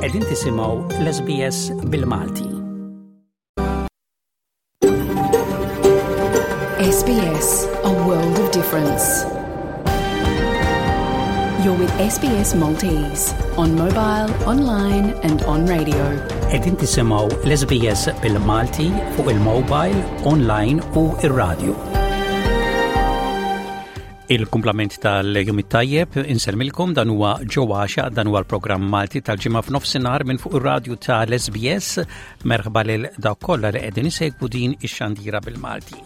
Qegħdin tisimgħu l-SBS bil-Malti. SBS, a world of difference. You're with SBS Maltese on mobile, online and on radio. Qegħdin tisimgħu l-SBS bil-Malti fuq il-mobile, online u ir-radio. Il-kumplament tal-jum it-tajjeb insellmilkom dan huwa Ġo Għaxa, dan huwa l-programm Malti tal-ġimgħa f'nofsinhar minn fuq ir-radju tal-SBS. Merħba lil dawk kollha li qegħdin isegwu din ix-xandira bil-Malti.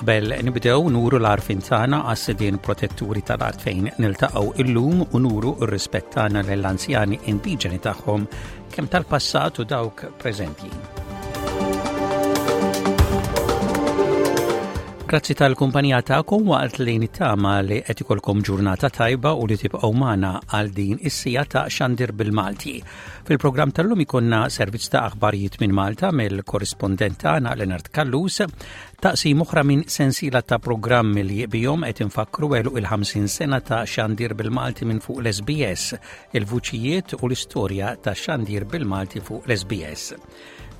Qabel nibdew nuru l-arfin tagħna għas-sidien protetturi tal-art fejn niltaqgħu illum u nuru r-rispett tagħna lill-anzjani indiġeni tagħhom kemm tal-passat u dawk preżenti. Grazzi tal-kumpanija tagħkom waqt li nittama li qed ikolkom ġurnata tajba u li tibqgħu magħna għal din is-sija ta' xandir bil-Malti. Fil-programm tal-lum ikonna servizz ta' aħbarijiet minn Malta mill-korrispondent tagħna Leonard Kallus, taqsim oħra minn sensiela ta' programmi li bihom qed infakkru għeluq il-50 sena ta' xandir bil-Malti minn fuq l-SBS il-vuċijiet u l-istorja ta' xandir bil-Malti fuq l-SBS.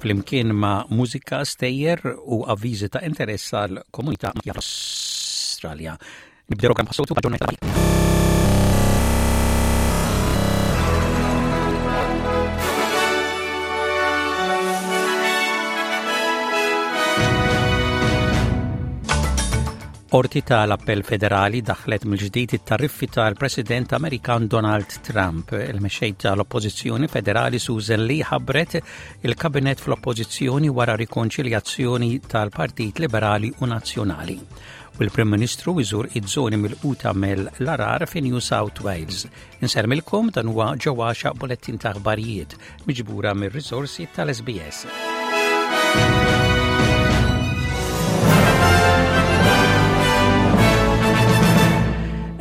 Flimkien ma' mużika, stejjer u avviżi ta' interess għal komunità Australja. Nibdew program bħas-soltu b'aġġornament Qorti tal-Appell Federali daħlet mill-ġdid it-tariffi tal-President Amerikan Donald Trump. Il-mexxej tal-Oppożizzjoni Federali Susan Lee ħabbret il-kabinet fl-Oppożizzjoni wara rikonċiljazzjoni tal-Partit Liberali u Nazzjonali. U l-Prim Ministru iżur iż-żoni milquta mill-arar fi New South Wales. Insermilkom dan huwa ġewwa bulettin ta' aħbarijiet miġbura mir-riżorsi tal-SBS.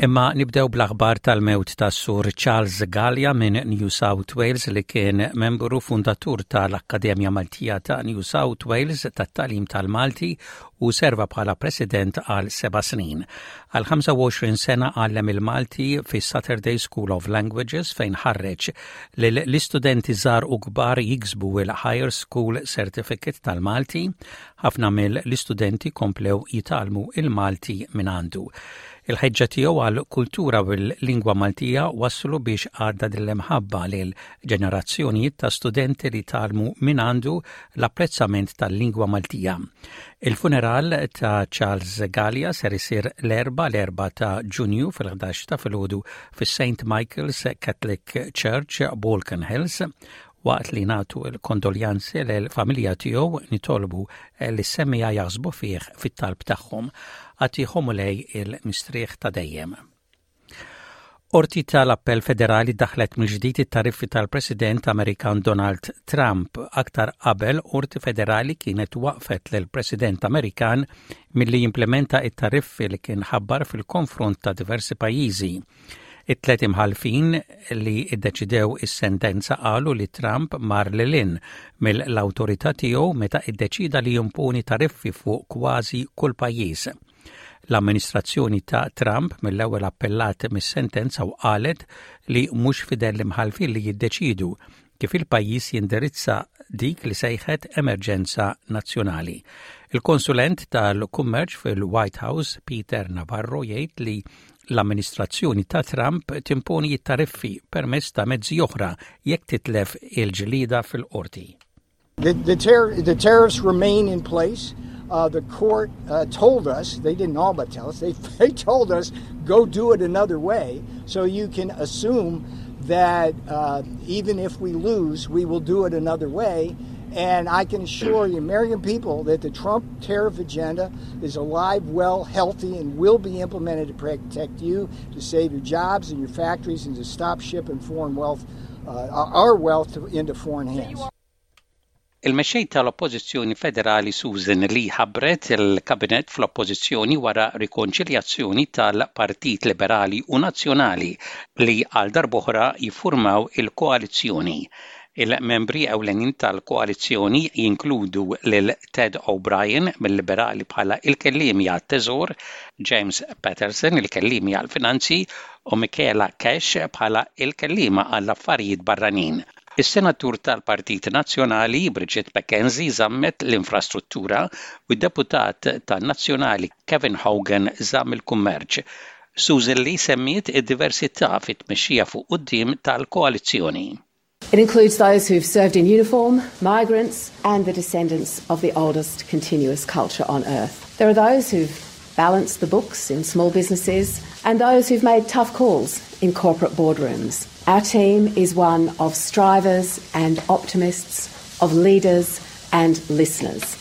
Imma nibdew bl-aħbar tal-mewt ta' Sur Charles Gallia minn New South Wales li kien membru fundatur tal-Akkademja Maltija ta' New South Wales tat-Talim tal-Malti u serva bħala president għal seba' snin. Għal 25 sena għallem il-Malti fis-Saturday School of Languages fejn ħarreġ lil l-istudenti żgħar u kbar jiksbu il-Higher School Certificate tal-Malti. Ħafna mill-istudenti komplew jitgħallmu il-Malti minn għandu. Il-ħeġġa tiegħu għal kultura u l-lingwa Maltija wasslu biex għadda din l-imħabba lil ġenerazzjonijiet ta' studenti li tgħallmu minn għandu l-apprezzament tal-lingwa Maltija. Il-funeral ta' Charles Gallia ser isir l-Erbgħa l-4 ta' Ġunju fil-11 ta' filgħodu fis-St Michael's Catholic Church, Balkan Hills. Waqt li nagħtu l-kondoljanzi lill-familja tiegħu nitolbu li s-semmiegħa jaħsbu fih fit-talb tagħhom. Agħtihom Mulej il-mistrieħ ta' dejjem. Qorti tal-Appell Federali daħlet mill-ġdid it-tariffi tal-President Amerikan Donald Trump. Aktar qabel, Qorti Federali kienet waqfet lill-President Amerikan milli jimplementa it-tariffi li kien ħabbar fil-konfront ta' diversi pajjiżi. It-tlet imħallfin li ddeċidew is-sentenza qalu li Trump mar lil hinn mill-awtorità tiegħu meta ddeċida li jimponi tariffi fuq kważi kull pajjiż. L-amministrazzjoni ta' Trump mill-ewwel appellat mis-sentenza u qalet li mhux f'idejn l-imħallfin li jiddeċiedu kif il-pajjiż jindirizza dik li sejħet emerġenza nazzjonali. Il-konsulent tal-kummerċ fil-White House, Peter Navarro, jgħid li l-amministrazzjoni ta' Trump timponi t-tariffi permezz ta' mezzi oħra jekk titlef il-ġlieda fil-qorti. The, the, tar- the tariffs remain in place. Uh, the court uh, told us, they didn't all but tell us, they, they told us, go do it another way. So you can assume that uh, even if we lose, we will do it another way. And I can assure the American people that the Trump tariff agenda is alive, well, healthy, and will be implemented to protect you, to save your jobs and your factories, and to stop shipping foreign wealth, uh, our wealth to, into foreign hands. Il-mexxej tal-Oppożizzjoni Federali Susan Lee ħabbret il-Kabinett fl-Oppożizzjoni wara rikonċiljazzjoni tal-Partit Liberali u Nazzjonali li għal darb'oħra jiffurmaw il-koalizzjoni. Il-membri ewlenin tal-koalizzjoni jinkludu lil Ted O'Brien mill-Liberali bħala il-kelliemi għat-Teżor, James Paterson il-kelliemi għall-Finanzi u Michaela Cash bħala il-kelliema għall-Affarijiet Barranin. Is-Senatur tal-Partit Nazzjonali Bridget McKenzie żammet l-infrastruttura u d-Deputat tan-Nazzjonali Kevin Hogan żamm il-kummerċ. Susan Lee semmiet id-diversità fit-tmexxija fuq quddiem tal-koalizzjoni. It includes those who've served in uniform, migrants, and the descendants of the oldest continuous culture on earth. There are those who've balanced the books in small businesses and those who've made tough calls in corporate boardrooms. Our team is one of strivers and optimists, of leaders and listeners.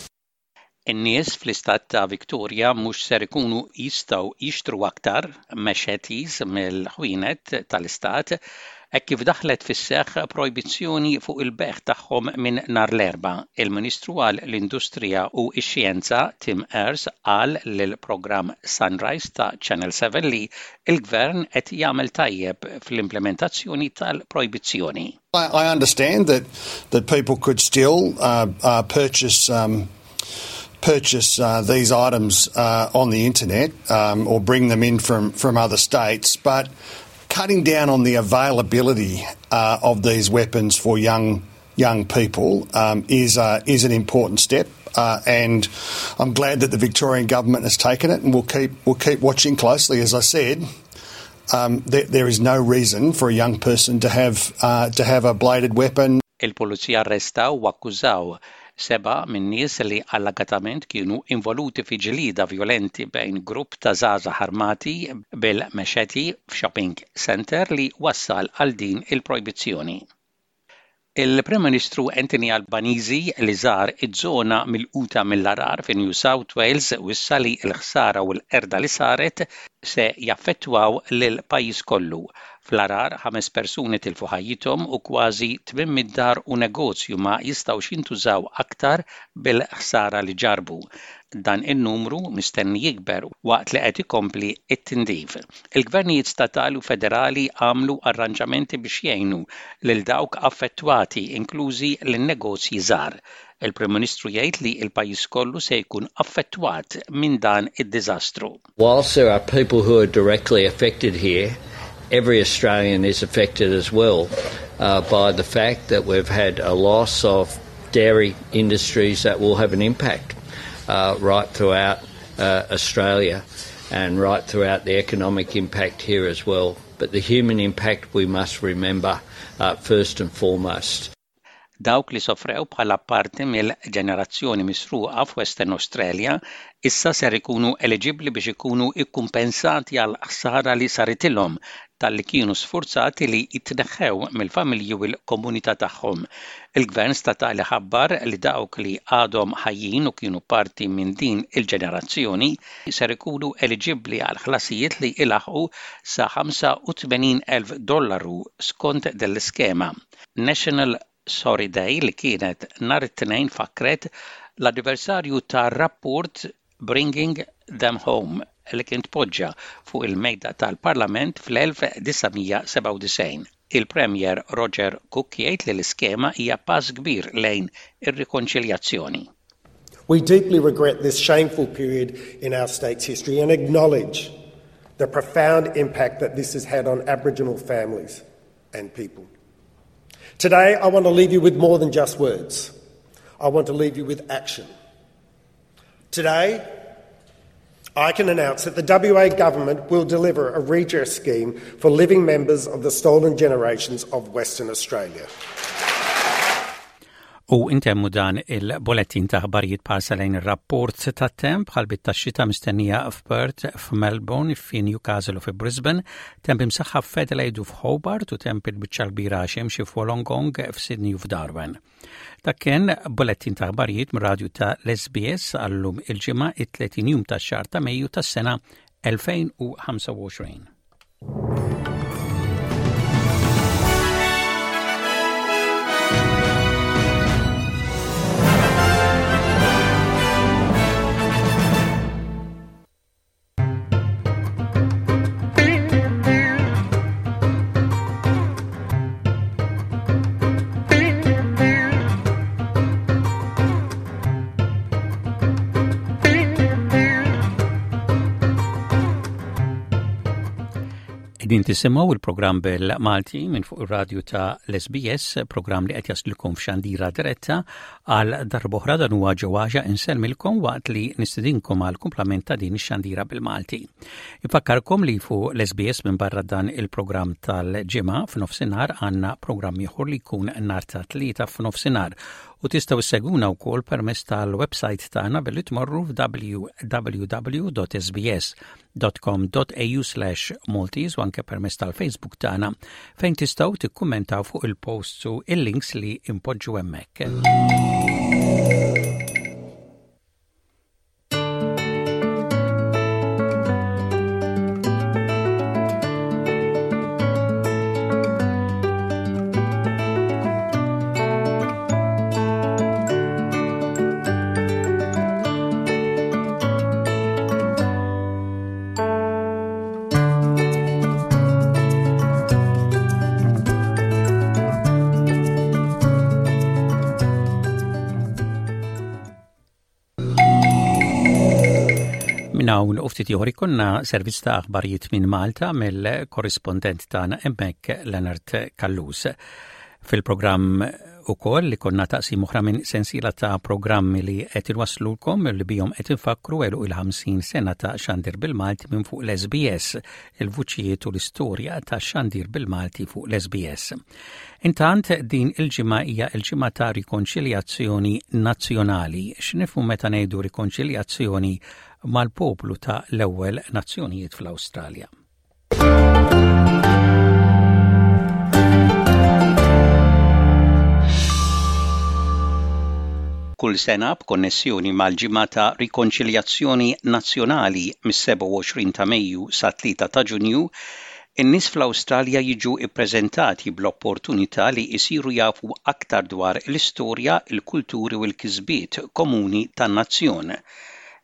In-nies fl-istat ta' Victoria mhux ser ikunu jistgħu jixtru aktar machetes mill-ħwienet tal-istat hekk kif daħlet fis-seħħ projbizzjoni fuq il-bejgħ tagħhom minn nhar l-Erbgħa. Il-Ministru għal l-Industrija u x-Xjenza Tim Ayres qal lill-programm Sunrise ta' Channel 7 li l-Gvern qed jagħmel tajjeb fl-implementazzjoni tal-projbizzjoni. I understand that that people could still uh, uh, purchase um, purchase uh, these items uh, on the internet um, or bring them in from, from other states, but cutting down on the availability uh, of these weapons for young young people um, is uh, is an important step. Uh, and I'm glad that the Victorian government has taken it, and we'll keep we'll keep watching closely. As I said, um, there, there is no reason for a young person to have uh, to have a bladed weapon. Il-pulizija arrestaw u akkużaw sebgħa min-nies li allegatament kienu involuti fi ġlieda vjolenti bejn grupp ta' żgħażagħ armati bil-machete f'shopping centre li wassal għal din il-projbizzjoni. Il-Prim Ministru Anthony Albanese li żar iż-żona milquta mill-għargħar fi New South Wales wissa li l-ħsara u l-qerda li saret se jaffettwaw lill-pajjiż kollu. Fl-għargħar, ħames persuni tilfu ħajjithom u kważi 800 dar u negozju ma jistgħux jintużaw aktar bil-ħsara li ġarrbu. Dan in-numru mistenni jikber waqt li qed ikompli t-tindif. Il-gvernijiet statali u federali għamlu arranġamenti biex jgħinu lil dawk affettwati, inklużi lin-negozji żgħar. Il-Prim Ministru jgħid li l-pajjiż kollu se jkun affettwat minn dan id-diżastru. Whilst there are people who are directly affected here, every Australian is affected as well uh, by the fact that we've had a loss of dairy industries that will have an impact uh, right throughout uh, Australia and right throughout the economic impact here as well. But the human impact we must remember uh, first and foremost. Dawk li sofrew bħala parti mill-ġenerazzjoni misruqa f'Western Australia issa ser ikunu eliġibbli biex ikunu kkumpensati għall-ħsara li saritilhom talli kienu sfurzati li jitneħħew mill-familji u l-komunità tagħhom. Il-Gvern statali ħabbar li dawk li għadhom ħajjin u kienu parti minn din il-ġenerazzjoni ser ikunu eliġibbli għal ħlasijiet li ilaħħqu sa 85,000 dollaru skont din l-iskema. National Sorry Day li kienet nhar it-Tnejn fakkret l-anniversarju tar-rapport Bringing Them Home li kien tpoġġa fuq il-mejda tal-Parlament fl-1997. Il-Premier Roger Cook jgħid li l-iskema hija pass kbir lejn ir-rikonċiljazzjoni. We deeply regret this shameful period in our state's history and acknowledge the profound impact that this has had on Aboriginal families and people. Today, I want to leave you with more than just words. I want to leave you with action. Today, I can announce that the WA government will deliver a redress scheme for living members of the stolen generations of Western Australia. U intemmu dan il-bolettin ta' ħbarijiet b'ħarsa lejn ir-rapport tat-temp bħal bit-taxxita mistennija f'Perth, f'Melbourne, fi Newcastle u fi Brisbane, temp imsaħħab f'Adelaide u f'Hobart u temp il-biċċa l-kbira xemxi f'Wollongong, f'Sydney u f'Darwin. Dak kien bolettin ta' aħbarijiet mir-radju ta' l-SBS għallum il-ġimgħa it-30 jum tax-xahar ta' Mejju tas-sena 2025. Qegħdin tisimgħu il-programm bil-Malti minn fuq ir-radju ta' l-SBS, programm li qed jaslilkom f'xandira diretta għal darb'oħra dan huwa ġewwaġa insellmilkom waqt li nistidinkom għal kumplament ta' din ix-xandira bil-Malti. Infakkarkom li fuq l-SBS minn barra dan il-programm tal-ġimgħa f'nofsinhar għandna programm ieħor li jkun nhar ta' tlieta f'nofsinhar u tistgħu ssegwuna wkoll permezz tal-website tagħna billi tmorru f'www.sbs www.com.au/maltese u anke permezz tal-Facebook tagħna fejn tistgħu tikkummentaw fuq il-posts u il-links li impoġġu hemmhekk. Minn hawn u ftit ieħor ikollna servizz ta' aħbarijiet minn Malta mill-korrispondent tagħna hemmhekk Leonard Callus. Fil-programm ukoll li konna taqsim oħra minn sensiela ta' programmi li qed inwasslulkom li bihom qed infakkru għeluq il-50 sena ta' xandir bil-Malti minn fuq l-SBS, il-vuċijiet u l-istorja ta' xandir bil-Malti fuq l-SBS. Intant din il-ġimgħa hija l-ġimgħa ta' rikonċiljazzjoni nazzjonali. X'nifhmu meta ngħidu rikonċiljazzjoni mal-poplu ta' l-ewwel nazzjonijiet fl-Awstralja? Kull sena b'konnessjoni mal-Ġimgħa ta' Rikonċiljazzjoni Nazzjonali mis-27 ta' Mejju sat-3 ta' Ġunju, in-nies fl-Awstralja jiġu ppreżentati bl-opportunità li jsiru jafu aktar dwar l-istorja, il-kulturi u l-kisbiet komuni tan-nazzjon.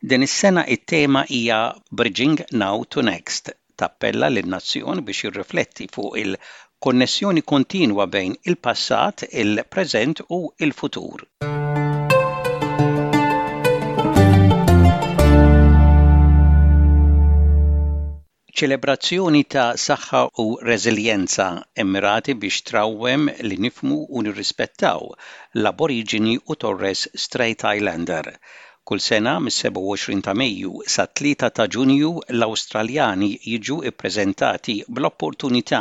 Din is-sena it-tema hija Bridging Now to Next, tappella lin-nazzjon biex jirrifletti fuq il-konnessjoni kontinwa bejn il-passat, il-preżent u l-futur. Ċelebrazzjoni ta' saħħa u reżiljenza mmirati biex trawwem li nifhmu u nirrispettaw l-Aboriġini u Torres Strait Islander. Kull sena mis-27 ta' Mejju sat-3 ta' Ġunju l-Awstraljani jiġu ppreżentati bl-opportunità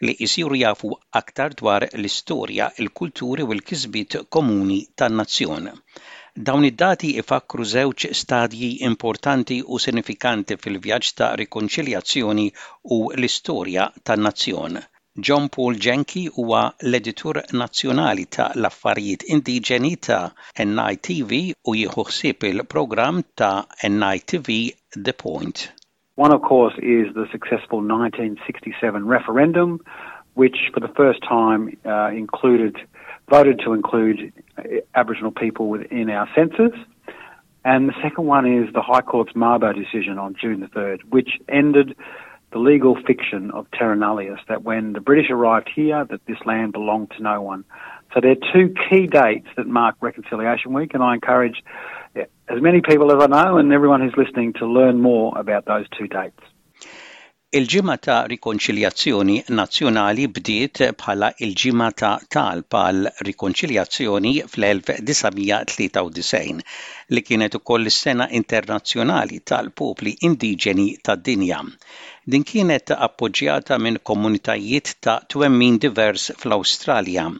li jsiru jafu aktar dwar l-istorja, il-kulturi u l-kisbiet komuni tan-nazzjon. Dawn id-dati jfakkru żewġ stadji importanti u sinifikanti fil-vjaġġ ta' rikonċiljazzjoni u l-istorja tan-nazzjon. John Paul Jenky huwa l-Editur Nazzjonali ta' l-Affarijiet Indiġeni ta' NITV u jieħu ħsieb il-programm ta' NITV The Point. One, of course, is the successful 1967 referendum, which for the first time uh, included, voted to include uh, Aboriginal people within our census. And the second one is the High Court's Mabo decision on June the 3rd, which ended the legal fiction of terra nullius, that when the British arrived here, that this land belonged to no one. So there are two key dates that mark Reconciliation Week, and I encourage as many people as I know and everyone who's listening to learn more about those two dates. Il-Ġimgħa ta' Rikonċiljazzjoni Nazzjonali bdiet bħala l-Ġimgħa ta' Talb għal Rikonċiljazzjoni fl-1993, li kienet ukoll is-Sena Internazzjonali tal-Popli Indiġeni tad-Dinja. Din kienet appoġġjata minn komunitajiet ta' twemmin divers fl-Awstralja.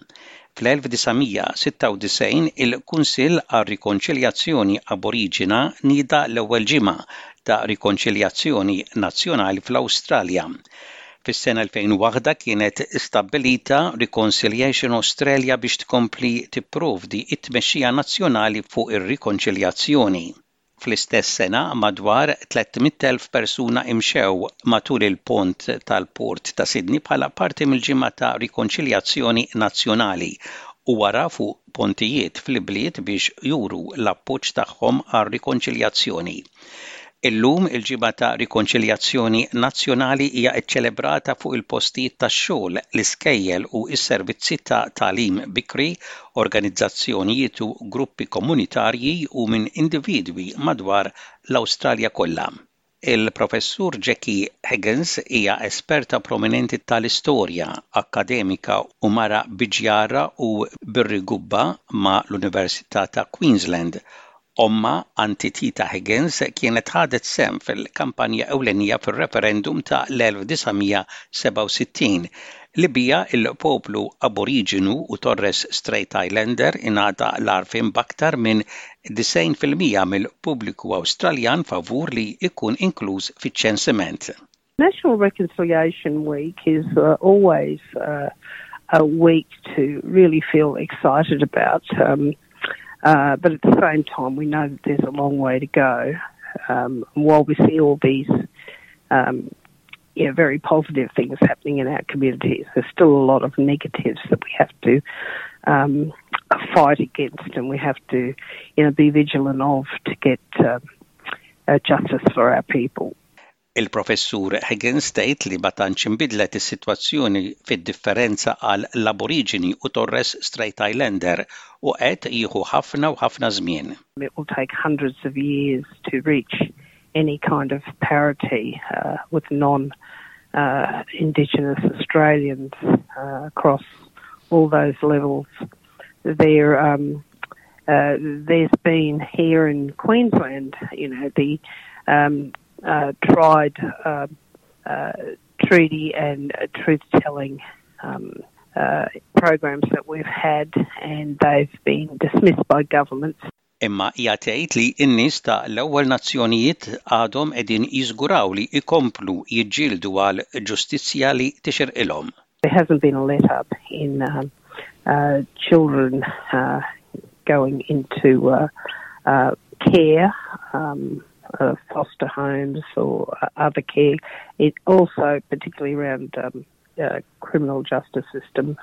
Fl-1996 il-Kunsill għar-Rikonċiljazzjoni Aboriġina nieda l-ewwel ġimgħa ta' rikonċiljazzjoni nazzjonali fl-Awstralja. Fis-sena 2001 kienet stabbilita Reconciliation Australia biex tkompli tipprovdi t-tmexxija nazzjonali fuq ir-rikonċiljazzjoni. Fl-istess sena, madwar 300,000 persuna imxew matul il-pont tal-Port ta' Sydney bħala parti mill-Ġimgħa ta' Rikonċiljazzjoni Nazzjonali u wara fuq pontijiet fl-ibliet biex juru l-appoġġ tagħhom għar-rikonċiljazzjoni. Illum, il-Ġimgħa ta' Rikonċiljazzjoni Nazzjonali hija ċċelebrata fuq il-postijiet tax-xogħol, l-iskejjel u s-servizzi ta' tagħlim bikri, organizzazzjonijiet u gruppi komunitarji u minn individwi madwar l-Awstralja kollha. Il-Professur Jackie Higgins hija esperta prominenti tal-istorja, akkademika u mara Bidjara u Birri-Gubba ma' l-Università ta' Queensland. Ommha, Aunty Tita Higgins, kienet ħadet sehem fil-kampanja ewlenija fir-referendum ta' l-1967 li biha l-poplu Aboriġinu u Torres Strait Islander ingħata l-għarfien b'aktar minn 90% mill-pubbliku Awstraljan favur li jkun inkluż fiċ-ċensiment. National Reconciliation Week is uh, always uh, a week to really feel excited about. Um, uh, but at the same time, we know that there's a long way to go. Um, while we see all these um, you know, very positive things happening in our communities, there's still a lot of negatives that we have to um, fight against and we have to you know, be vigilant of to get uh, uh, justice for our people. Il-Professur Higgins tgħid li ma tantx inbidlet is-sitwazzjoni fid-differenza għal l-Aboriġini u Torres Strait Islander u qed jieħu ħafna u ħafna żmien. It will take hundreds of years to reach any kind of parity uh, with non uh, Indigenous Australians uh, across all those levels. There, um, uh, there's been here in Queensland, you know, the um, uh, tried uh, uh, treaty and truth telling um, uh, programs that we've had, and they've been dismissed by governments. Imma hija tgħid li n-nies ta' l-ewwel nazzjonijiet għadhom qegħdin jiżguraw li jkomplu jiġġieldu għal ġustizzja li tixirqilhom. There hasn't been a let up in um, uh, children uh, going into uh, uh, care, um, uh, foster homes or uh, other care. It also, particularly around um, uh, criminal justice system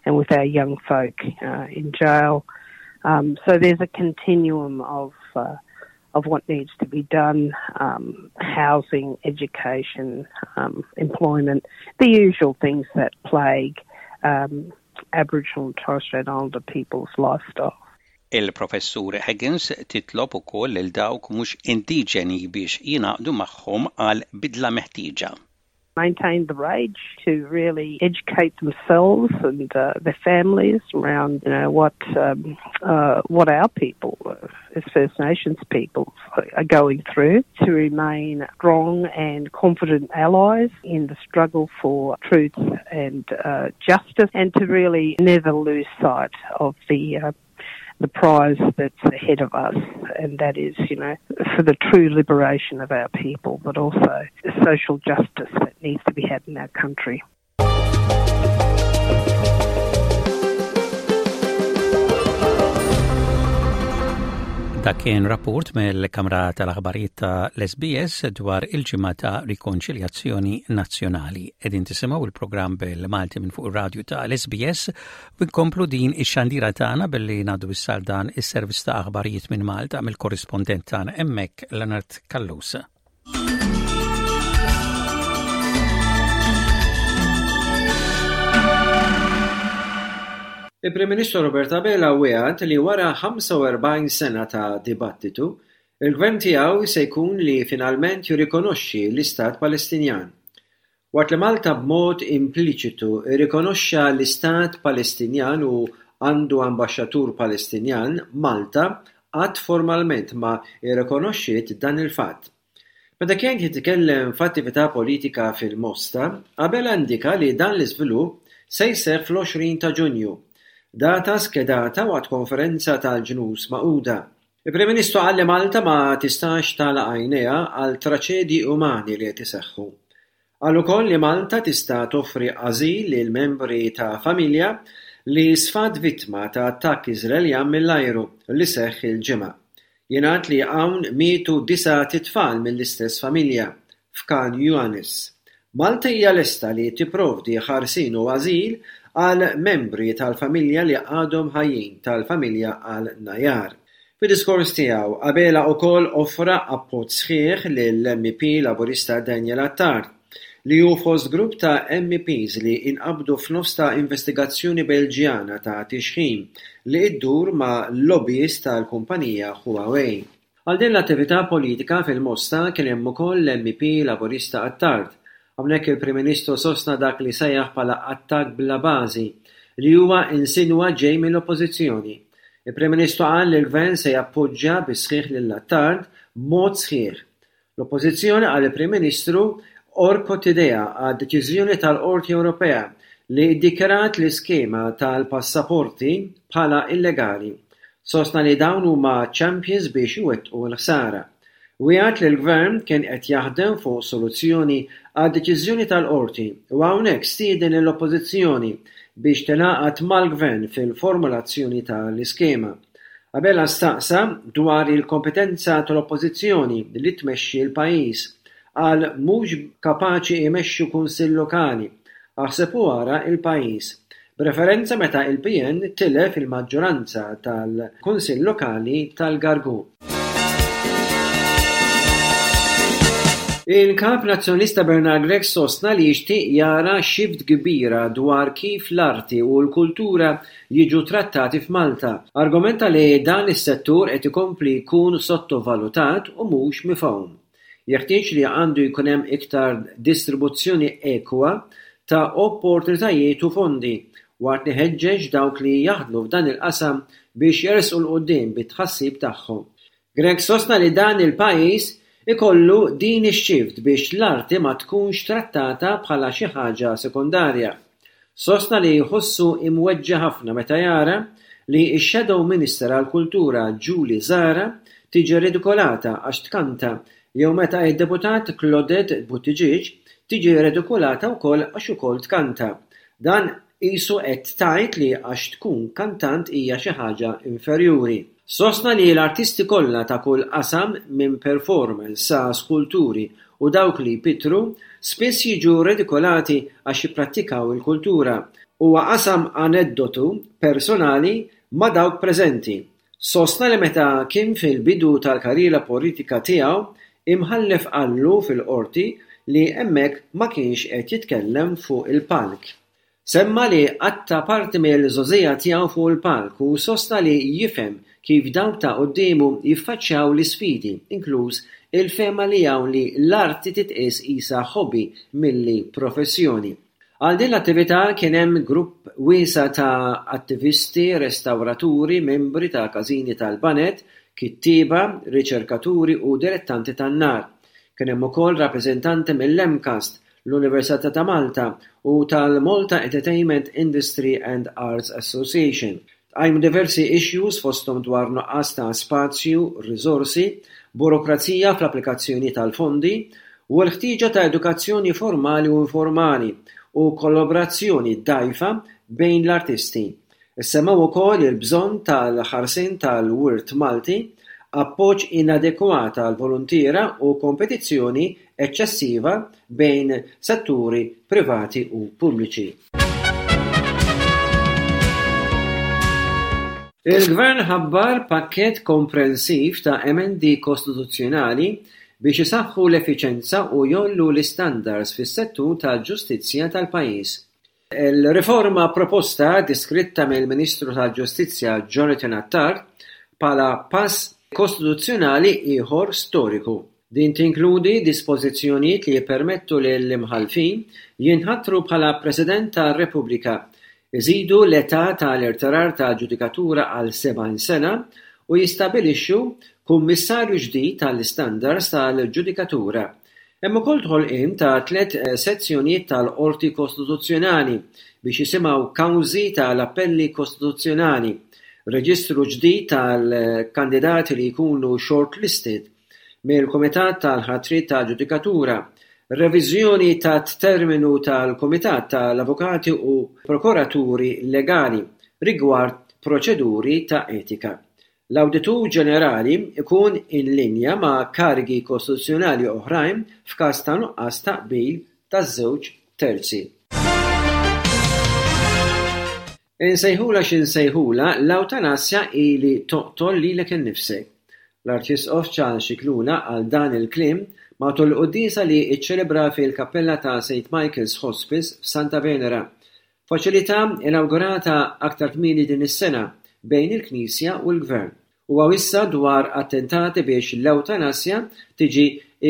and with our young folk uh, in jail. Um, so there's a continuum of uh, of what needs to be done um, housing, education, um, employment, the usual things that plague um, Aboriginal and Torres Strait Islander people's lifestyle. Il-Professur Higgins titlob ukoll lil dawk mhux indiġeni biex jingħaqdu magħhom għal bidla meħtieġa. Maintain the rage to really educate themselves and uh, their families around you know what um, uh, what our people uh, as First Nations people are going through to remain strong and confident allies in the struggle for truth and uh, justice and to really never lose sight of the uh, the prize that's ahead of us, and that is, you know, for the true liberation of our people, but also social justice that needs to be had in our country. Dak kien rapport mill-Kamra tal-Aħbarijiet ta' l-SBS dwar il-ġimgħa ta' Rikonċiljazzjoni Nazzjonali. Qegħdin tisimgħu il-programm bil-Malti minn fuq ir-radju ta' l-SBS u nkomplu din ix-xandira tagħna billi ngħaddu issa dan is-servizz ta' aħbarijiet minn Malta mill-korrispondent tagħna hemmhekk Leonard Callus. Il-Prim Ministru Robert Abela wiegħed li wara 45 sena ta' dibattitu, il-Gvern tiegħu se jkun li finalment jirrikonoxxi l-Istat Palestinjan. Waqt li Malta b'mod impliċitu rrikonoxxa l-Istat Palestinjan u għandu ambaxxatur Palestinjan, Malta qatt formalment ma rrikonoxxiet dan il-fatt. Meta kien jitkellem f'attività politika fil-Mosta, Abela indika li dan l-iżvilupp se jseħħ fl-20 ta' Ġunju, data skedata waqt konferenza tal-Ġnus Magħquda. Il-Prim Ministru qal li Malta ma tistax tagħlaq għajnejha għal traċedji umani li qed iseħħu. Qal ukoll li Malta tista' toffri ażil lil membri ta' familja li sfat vittma ta' attakk Iżraeljan mill-ajru li seħħ il-Ġimgħa. Jingħad li hawn mietu disat itfal mill-istess familja, f'Khan Younis. Malta hija lesta li tipprovdi ħarsien u ażil għal membri tal-familja li għadhom ħajjin tal-familja Al-Najjar. Fid-diskors tiegħu, Abela ukoll offra appoġġ sħiħ lill-MEP Laburista Daniel Attard, li hu fost grupp ta' MEPs li inqabdu f'nofs ta' investigazzjoni Belġjana ta' tixħim li ddur ma' lobbyist tal-kumpanija Huawei. Għal din l-attività politika fil-Mosta kien hemm ukoll l-MEP Laburista Attard. Hawnhekk il-Prim Ministru sostna dak li sejjaħ bħala attakk bla bażi li huwa insinwa ġej mill-Oppożizzjoni. Il-Prim Ministru qal li l-Gvern se jappoġġja bis-sħiħ lil Attard b'mod sħiħ. L-Oppożizzjoni, qal il-Prim Ministru, għorkot idejha għad-deċiżjoni tal-Qorti Ewropea li ddikjarat l-iskema tal-passaporti bħala illegali. Sostna li dawn huma champions biex iwettqu l-ħsara. Wiegħed li l-Gvern kien qed jaħdem fuq soluzzjoni għad-deċiżjoni tal-Qorti u hawnhekk stieden lill-Oppożizzjoni biex tingħaqad mal-Gvern fil-formulazzjoni tal-iskema. Abela staqsa dwar il-kompetenza tal-Oppożizzjoni li tmexxi l-pajjiż. Qal mhux kapaċi imexxu kunsill lokali, aħseb u ara l-pajjiż. B'referenza meta il-PN tilef il-maġġoranza tal-Kunsill Lokali tal-Gargur. Il-Kap Nazzjonalista Bernard Grech sostna li jixtieq jara shift kbira dwar kif l-arti u l-kultura jiġu trattati f'Malta. Argumenta li dan is-settur qed ikompli jkun sottovalutat u mhux mifhum. Jeħtieġ li għandu jkun hemm iktar distribuzzjoni ekwa ta' opportunitajiet u fondi, waqt li ħeġġeġ dawk li jaħdmu f'dan il-qasam biex jersqu 'l quddiem bit-tħassib tagħhom. Grech sostna li dan il-pajjiż ikollu din ix-shift biex l-arti ma tkunx trattata bħala xi ħaġa sekondarja. Sostna li jħossu imweġġa' ħafna meta jara li x-Shadow Minister għall-Kultura Julie Zahra tiġi redikolata għax tkanta jew meta d-Deputat Claudette Buttigieg tiġi redikolata wkoll għax ukoll tkanta. Dan Qisu qed tgħid li għax tkun kantant hija xi ħaġa inferjuri. Sostna li l-artisti kollha ta' kull qasam minn performers sa skulturi u dawk li jpittru, spiss jiġu redikolati għax jipprattikaw il-kultura. Huwa qasam aneddotu personali ma' dawk preżenti. Sostna li meta kien fil-bidu tal-karriera politika tiegħu, imħallef qallu fil-Qorti li hemmhekk ma kienx qed jitkellem fuq il-palk. Semma li qatta' parti mill-żgħożija tiegħu fuq il-palk u sostna li jifhem kif dawk ta' quddiemu jiffaċċjaw l-isfidi, inkluż il-fehma li hawn li l-arti titqies qisha hobby milli professjoni. Għal din l-attività kien hemm grupp wiesa' ta' attivisti, restawraturi, membri ta' każini tal-baned, kittieba, riċerkaturi u dilettanti tan-nar. Kien hemm ukoll rappreżentanti mill-MCAST, l-Università ta' Malta u tal-Malta Entertainment Industry and Arts Association. Tqajmu diversi issues fosthom dwar nuqqas ta' spazju, riżorsi, burokrazija fl-applikazzjoni tal-fondi, u l-ħtieġa ta' edukazzjoni formali u informali u kollaborazzjoni dgħajfa bejn l-artisti. Issemmew ukoll il-bżonn tal-ħarsien tal-wirt Malti, appoġġ inadekwat għall-voluntiera u kompetizzjoni eċċessiva bejn setturi privati u pubbliċi. Il-Gvern ħabbar pakkett komprensiv ta' emendi kostituzzjonali biex isaħħu l-effiċenza u jgħollu l-istandards fis-settur tal-ġustizzja tal-pajjiż. Il-riforma proposta, deskritta mill-Ministru tal-Ġustizzja Jonathan Attard bħala pass kostituzzjonali ieħor storiku. Din tinkludi dispożizzjonijiet li jippermettu lill-imħallfin jinħatru bħala President tar-Repubblika, iżidu l-età tal-irtirar tal-ġudikatura għal 70 sena u jistabbilixxu Kummissarju ġdid għall-Istandards tal-Ġudikatura. Hemm ukoll ħolqien ta' tlett sezzjonijiet tal-Qorti Kostituzzjonali biex jisimgħu kawżi tal-appelli kostituzzjonali, reġistru ġdid tal-kandidati li jkunu shortlisted mill-Kumitat tal-Ħatriet tal-Ġudikatura, reviżjoni tat-terminu tal-Kumitat tal-Avukati u Prokuraturi Legali rigward proċeduri ta' etika. L-Awditur Ġenerali jkun in linja ma' karigi kostituzzjonali oħrajn f'każ ta' nuqqas ta' qbil ta' żewġ terzi. Insejħulha x'insejħulha, l-awtanasja hi li toqtol lilek innifsek. L-Arċisqof Charles Scicluna qal dan il-kliem matul il-quddiesa li ċċelebra fil-Kappella ta' Saint Michael's Hospice f'Santa Venera Faċilità inawgurata aktar kmieni din is-sena bejn il-Knisja u l-Gvern. Huwa wissa dwar attentati biex l-ewtanasja tiġi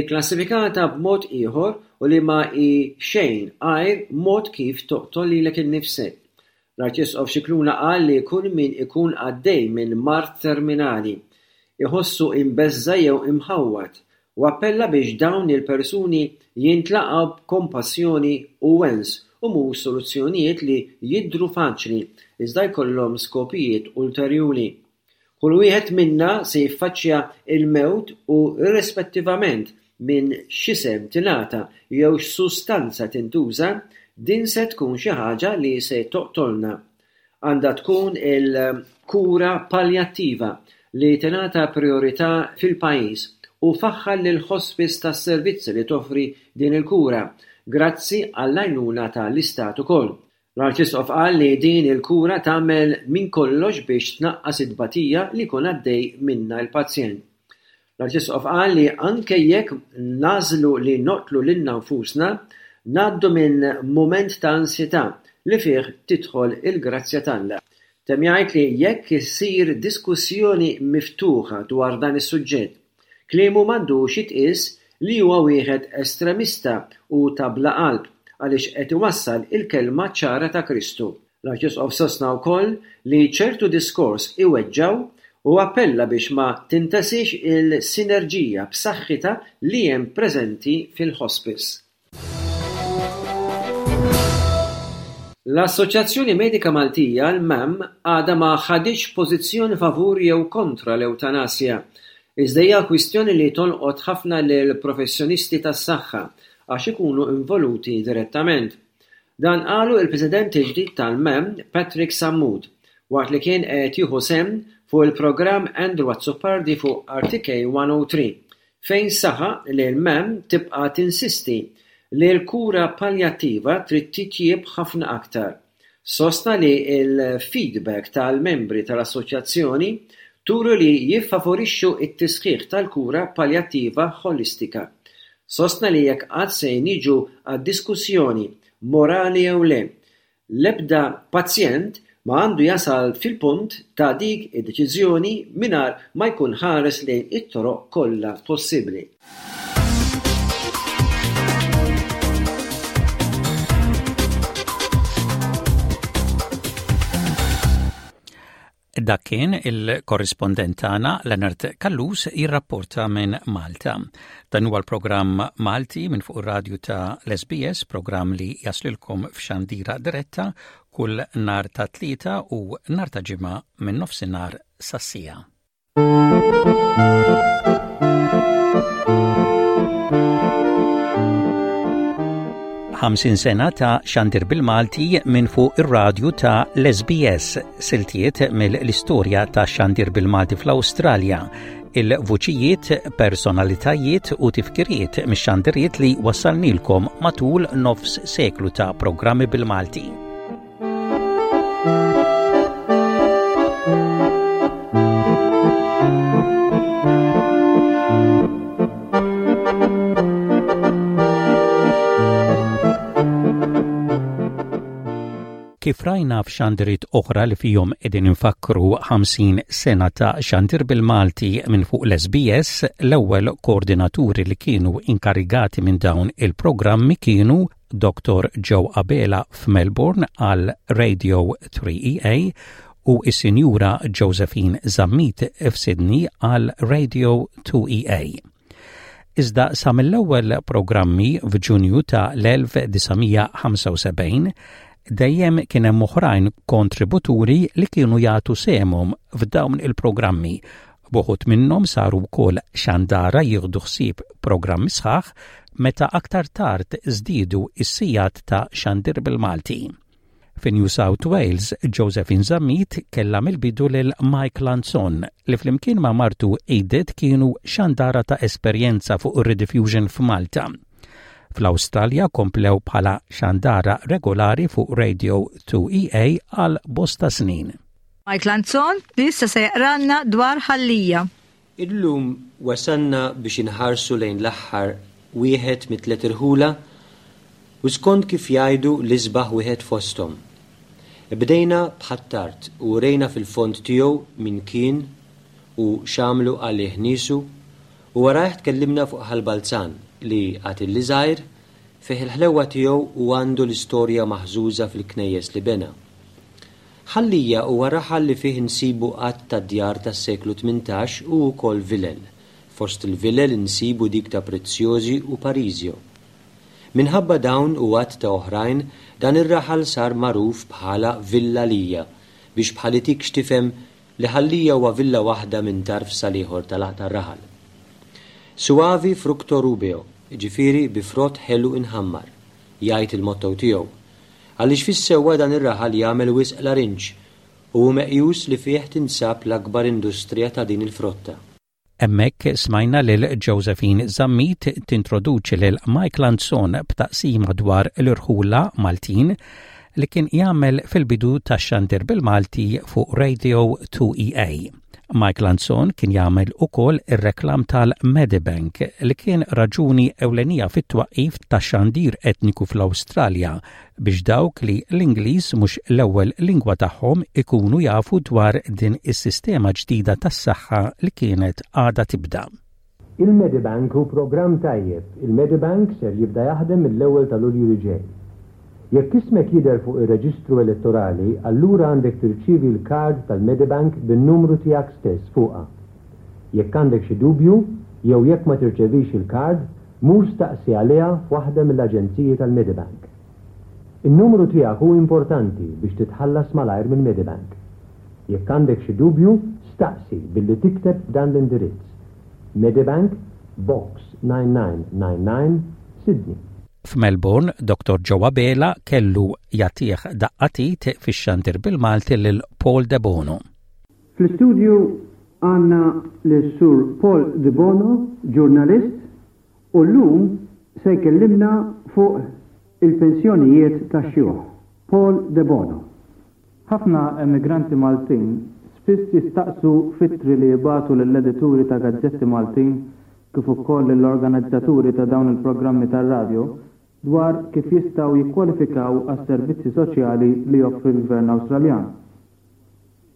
kklassifikata b'mod ieħor u li ma hi xejn għajr mod kif toqtol lilek innifsek. L-Arċisqof Scicluna qal li kull min ikun għaddej minn mard terminali, iħossu imbeżża' jew imħawwad u appella biex dawn il-persuni jintlaqgħu b'kompassjoni u wens u mhux soluzzjonijiet li jidhru faċli iżda jkollhom skopijiet ulterjuri. Kull wieħed minna se jiffaċċja l-mewt u irrispettivament minn x'isem tingħata jew x'sustanza tintuża, din se tkun xi ħaġa li se toqtolna. Għandha tkun il-kura paljattiva li tingħata prijorità fil-pajjiż u faħħar lill-Hospice tas-servizzi li toffri din il-kura, grazzi għall-għajnuna ta' l-Istat ukoll. L-Arċisqof qal li din il-kura tagħmel minn kollox biex tnaqqas it-tbatija li jkun għaddej minnha l-pazjent. L-Arċisqof qal li anke jekk nagħżlu li noqtlu lilna nfusna, ngħaddu minn mument ta' ansjetà li fih tidħol il-grazzja t'Alla. Temm jgħid li jekk issir diskussjoni miftuħa dwar dan is-suġġett, Kliemu m'għandux jitqies li huwa wieħed estremista u ta' bla qalb għaliex qed iwassal il-kelma ċara ta' Kristu. L-Arċisqof sostna wkoll li ċertu diskors iweġġgħu u appella biex ma tintesiex il-sinerġija b'saħħitha li hemm preżenti fil-Hospice. L-Assoċjazzjoni Medika Maltija, l-MAM, għadha ma ħaditx pożizzjoni favur jew kontra l-ewtanasja. Iżda hija kwistjoni li tolqot ħafna lill-professjonisti tas-saħħa għax ikunu involuti direttament. Dan qalu il-President il-ġdid tal-MAM, Patrick Sammut, waqt li kien qed jieħu sehem fuq il-programm Andrew Azzopardi fuq RTK 103 fejn saħaq li l-MAM tibqa' tinsisti li l-kura paljattiva trid titjieb ħafna aktar. Sostna li l-feedback tal-membri tal-assoċjazzjoni turi li jiffavorixxu t-tisħiħ tal-kura paljattiva ħolistika. Sostna li jekk qatt se niġu għad-diskussjoni morali jew le, L-ebda pazjent ma għandu jasal fil-punt ta' dik id-deċiżjoni mingħajr ma jkun ħares lejn it-toroq kollha possibbli. Dak kien il-korrispondent tagħna Leonard Callus jirrapporta minn Malta. Dan huwa l-programm Malti minn fuq ir-radju ta' l-SBS, programm li jaslilkom f'xandira diretta kull nar ta' tlieta u nar ta' ġimgħa minn nofsinhar sas-siegħa. 50 sena ta' xandir bil-Malti minn fuq ir-radju ta' l-SBS, siltiet mill-istorja ta' xandir bil-Malti fl-Awstralja, il-vuċijiet, personalitajiet u tifkiriet mix-xandiriet li wassalnilkom matul nofs seklu ta' programmi bil-Malti. Kif rajna f'xandiriet oħra li fihom qegħdin infakkru 50 sena ta' xandir bil-Malti minn fuq l-SBS, l-ewwel koordinaturi li kienu inkarigati minn dawn il-programmi kienu Dottor Joe Abela f'Melbourne għal Radio 3EA u s-Sinjura Josephine Zammit f'Sydney għal Radio 2EA. Iżda sa mill-ewwel programmi f'Ġunju ta' l-1975 dejjem kien hemm oħrajn kontributuri li kienu jagħtu sehemhom f'dawn il-programmi B'uħud minnhom saru wkoll xandara jieħdu ħsieb programmi sħaħ meta aktar tard żdiedu s-sigħat ta' xandir bil-Malti. Fi New South Wales, Josephine Zammit kellha mill-bidu lil Mike Lanzon li flimkien ma' martu Edith kienu xandara ta' esperjenza fuq ir-Rediffusion f'Malta. Fl-Awstralja komplew bħala xandara regolari fuq Radio 2EA għal bosta snin. Mike Lanzon li issa se jaqralna dwar Ħal Lija. Illum wasalna biex inħarsu lejn l-aħħar wieħed mit-tliet irħula u skont kif jgħidu l-isbaħ wieħed fosthom. Bdejna b'Ħ'Attard u urejna fil-fond tiegħu min kien u x'għamlu għalih niesu u warajh tkellimna fuq Ħal Balzan li, għad illi żgħir, fih il-ħlewwa tiegħu u għandu l-istorja maħżuża fil-knejjes li bena. Ħal Lija huwa raħal li fih insibu għadd ta' djar tas-seklu 18 u wkoll vilel. Fost il-vilel insibu dik ta' Preziosi u Parisio. Minħabba dawn u għadd ta' oħrajn, dan ir-raħal sar magħruf bħala Villa Lija, biex bħal itik x'tifhem li Ħal Lija huwa villa waħda minn tarf sal-ieħor tar-raħal. Suavi fructo rubeo, jiġifieri bi frott ħelu inħammar, jgħid il-motto tiegħu. Għaliex fis-sewwa dan ir-raħal jagħmel wisq larinġ u hu meqjus li fih tinsab l-akbar industrija ta' din il-frotta. Hemmhekk smajna lil Josephine Zammit tintroduċi lil Mike Lanzon b'taqsima dwar l-irħula Maltin li kien jagħmel fil-bidu tax-xandir bil-Malti fuq Radio 2EA. Mike Lanzon kien jagħmel ukoll ir-reklam tal-Medibank li kien raġuni ewlenija fit-twaqqif tax-xandir etniku fl-Awstralja biex dawk li l-Ingliż mhux l-ewwel lingwa tagħhom ikunu jafu dwar din is-sistema ġdida tas-saħħa li kienet għadha tibda. Il-Medibank hu programm tajjeb. Il-Medibank ser jibda jaħdem mill-ewwel ta' Lulju li ġej. Jekk ismek jidher fuq ir-reġistru elettorali, allura għandek tirċievi l-kard tal-Medibank bin-numru tiegħek stess fuqha. Jekk għandek xi dubju, jew jekk ma tirċevix il-kard, Mur staqsi għaliha f'waħda mill-aġenziji tal-Medibank. In-numru tiegħek hu importanti biex titħallas malajr mill-Medibank. Jekk għandek xi dubju, staqsi billi tikteb f'dan l-indirizz, Medibank, Box 9999, Sydney. F'Melbourne, Dottor Joe Abela kellu jagħtih daqqa t'id fix-xandir bil-Malti lil Paul Debono. Fl-istudju għandna lis-Sur Paul Debono, ġurnalist, u llum se jkellimna fuq il-pensjonijiet tax-xjuħ. Paul Debono. Ħafna emigranti Maltin spiss jistaqsu f'ittri li jibagħtu lill-edituri ta' gazzetti Maltin kif ukoll lill-organizzaturi ta' dawn il-programmi tar-radjo dwar kif jistgħu jikkwalifikaw għas-servizzi soċjali li joffri l-Gvern Awstraljan.